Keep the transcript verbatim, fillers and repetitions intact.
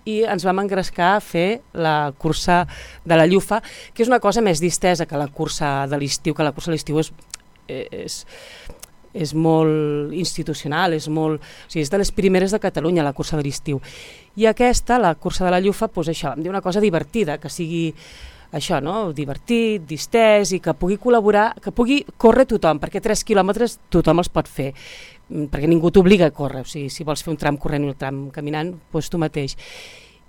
i ens vam engrescar a fer la cursa de la Llufa, que és una cosa més distesa que la cursa de l'estiu, que la cursa de l'estiu és, és, és molt institucional, és, molt, o sigui, és de les primeres de Catalunya, la cursa de l'estiu. I aquesta, la cursa de la Llufa, doncs això, em diu una cosa divertida, que sigui això, no? Divertit, distès i que pugui col·laborar, que pugui córrer tothom, perquè tres quilòmetres tothom els pot fer, perquè ningú t'obliga a córrer, o sigui, si vols fer un tram corrent i un tram caminant, doncs tu mateix.